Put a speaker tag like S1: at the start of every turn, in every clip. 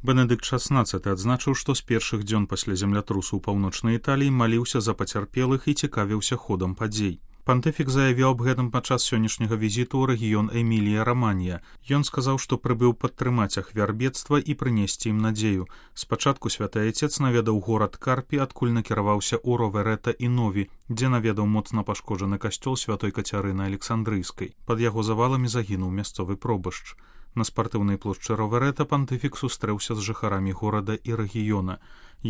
S1: Бенедыкт XVI адзначыў, што з першых дзён пасля землятрусу ў паўночнай Італіі маліўся за пацярпелых і цікавіўся ходам падзей. Пантыфік заявіў аб гэтым падчас сённяшняга візіту ў рэгіён Эмілія-Раманья. Ён сказаў, што прыбыў падтрымаць ахвяр бедства і прынесці ім надзею. Спачатку святы айцец наведаў горад Карпі, адкуль накіраваўся ў Роверета і Нові, дзе наведаў моцна пашкоджаны касцёл святой Кацярыны Александрыйскай. Пад яго заваламі загінуў мясцовы пробашч. На спартыўнай плошчы Роверета пантыфік сустрэўся з жыхарамі горада і рэгіёна.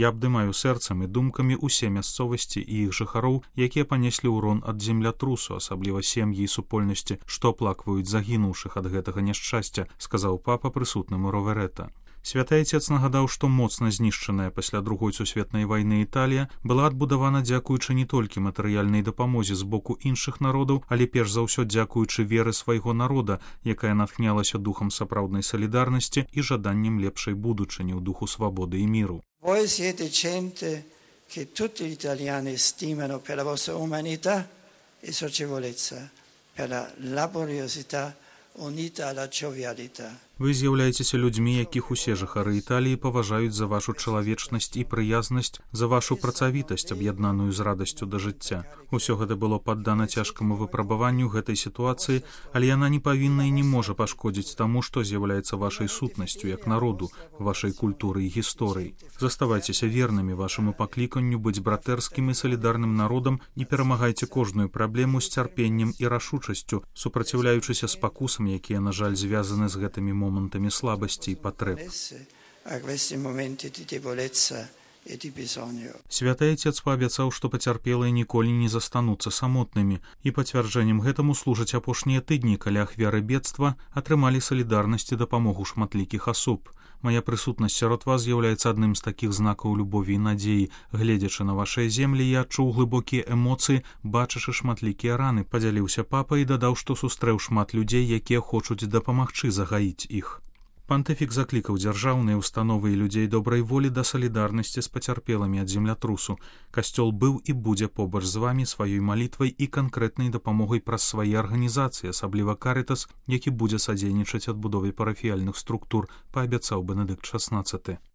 S1: Я абдымаю сэрцам і думкамі ўсе мясцовасці і іх жыхароў, якія панеслі ўрон ад землятрусу, асабліва сем'і і супольнасці, што аплакваюць загінуўшых ад гэтага няшчасця, сказаў папа прысутным у Роверета. Святы айцец нагадаў, што моцна знішчаная пасля Другой сусветнай вайны Італія была адбудавана дзякуючы не толькі матэрыяльнай дапамозе з боку іншых народаў, але перш за ўсё дзякуючы веры свайго народа, якая натхнялася духам сапраўднай салідарнасці і жаданнем лепшай будучыні ў духу свабоды і міру.
S2: Voi siete gente che tutti gli italiani stimano per la vostra umanità e socievolezza, per la laboriosità unita alla giovialità.
S1: Вы з'яўляецеся людзьмі, якіх усе жыхары Італіі паважаюць за вашу чалавечнасць і прыязнасць, за вашу працавітасць, аб'яднаную з радасцю да жыцця. Усё гэта было паддана цяжкаму выпрабаванню гэтай сітуацыі, але яна не павінна і не можа пашкодзіць таму, што з'яўляецца вашай сутнасцю як народу, вашай культуры і гісторыі. Заставайцеся вернымі вашаму пакліканню быць братэрскім і салідарным народам і перамагайце кожную праблему з цярпеннем і рашучасцю, супраціўляючыся спакусам, якія, на жаль, звязаны з гэтымі момантамі слабасці і патрэб. Святы айцец паабяцаў, што пацярпелыя ніколі не застануцца самотнымі, і пацвярджэннем гэтаму служаць апошнія тыдні, калі ахвяры бедства атрымалі салідарнасць і дапамогу шматлікіх асоб. Мая прысутнасць сярод вас з'яўляецца адным з такіх знакаў любові і надзеі. Гледзячы на вашыя землі, я адчуў глыбокія эмоцыі, бачачы шматлікія раны, падзяліўся папа і дадаў, што сустрэў шмат людзей, якія хочуць дапамагчы загаіць іх. Пантыфік заклікаў дзяржаўныя установы і людзей добрай волі да салідарнасці з пацярпелымі ад землятрусу. Касцёл быў і будзе побач з вамі сваёй малітвай і канкрэтнай дапамогай праз свае арганізацыі, асабліва Карытас, які будзе садзейнічаць адбудове парафіяльных структур, паабяцаў Бенедыкт XVI.